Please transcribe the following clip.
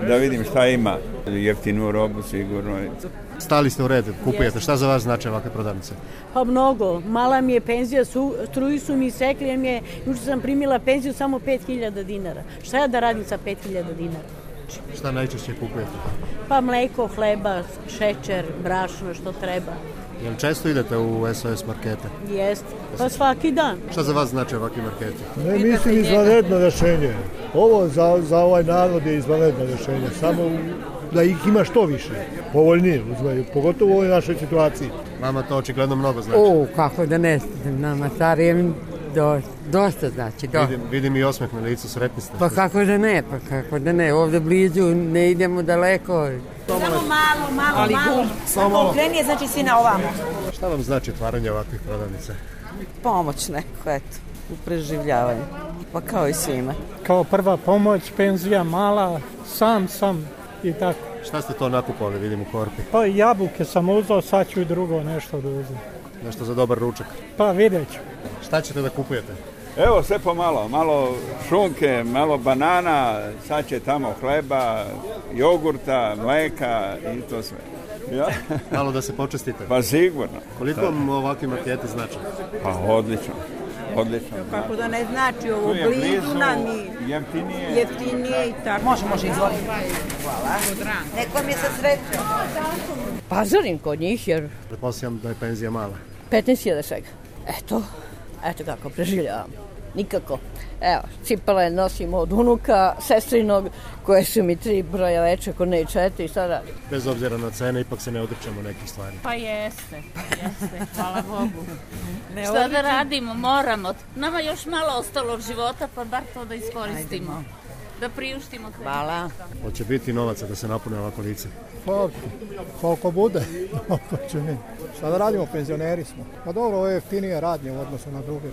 da vidim šta ima. Jeftinu robu sigurno. Stali ste u red, kupujete. Šta za vas znači ovakve prodavnice? Pa mnogo. Mala mi je penzija, struju su mi sekli, jer mi je, juče sam primila penziju samo 5.000 dinara. Šta ja da radim sa 5.000 dinara? Šta najčešće kupujete? Pa mleko, hleba, šećer, brašno, što treba. Jel često idete u SOS markete? Jeste, pa svaki dan. Šta za vas znači ovakvi marketi? Ne mislim izvanredno rješenje. Ovo za ovaj narod je izvanredno rješenje. Samo da ih ima što više, povoljnije uzmaju, pogotovo u ovoj našoj situaciji. Vama to očigledno mnogo znači. Kako da ne, nama starijem dosta znači. Vidim i osmeh na licu, sretni ste. Pa kako da ne, ovdje blizu, ne idemo daleko. Samo malo. Samo okrenije, znači svi na ovamo. Šta vam znači otvaranje ovakvih prodavnica? Pomoć neko, eto, u preživljavanju. Pa kao i svima. Kao prva pomoć, penzija mala, sam i tako. Šta ste to nakupovali, vidim u korpi? Pa jabuke sam uzeo, sad ću i drugo nešto da uzem. Nešto za dobar ručak? Pa vidjet ću. Šta ćete da kupujete? Evo sve pomalo, malo šunke, malo banana, sad će tamo hleba, jogurta, mleka i to sve. Ja? Malo da se počestite? Pa sigurno. Koliko vam ovakvi marketi znači? Pa odlično. Kako da ne znači, ovo blizu nam i jeftinije i tako. Može, izvoli. Hvala. Nekom je sa srećom. Pazarim kod njih jer... Pretpostavljam da je penzija mala. 15.000 svega. Eto kako preživljavam. Nikako. Evo, cipele nosim od unuka, sestrinog, koje su mi 3 broja veće, ako ne i 4, šta da? Bez obzira na cene, ipak se ne odričemo nekih stvari. Pa jeste, hvala Bogu. Šta da radimo, moramo. Nama još malo ostalo života, pa bar to da iskoristimo. Da priuštimo sve. Hvala. Hoće biti novaca da se napune ovako lice? Pa, koliko bude. Šta da radimo, penzioneri smo. Pa dobro, ovo je jeftinije radnje u odnosu na druge.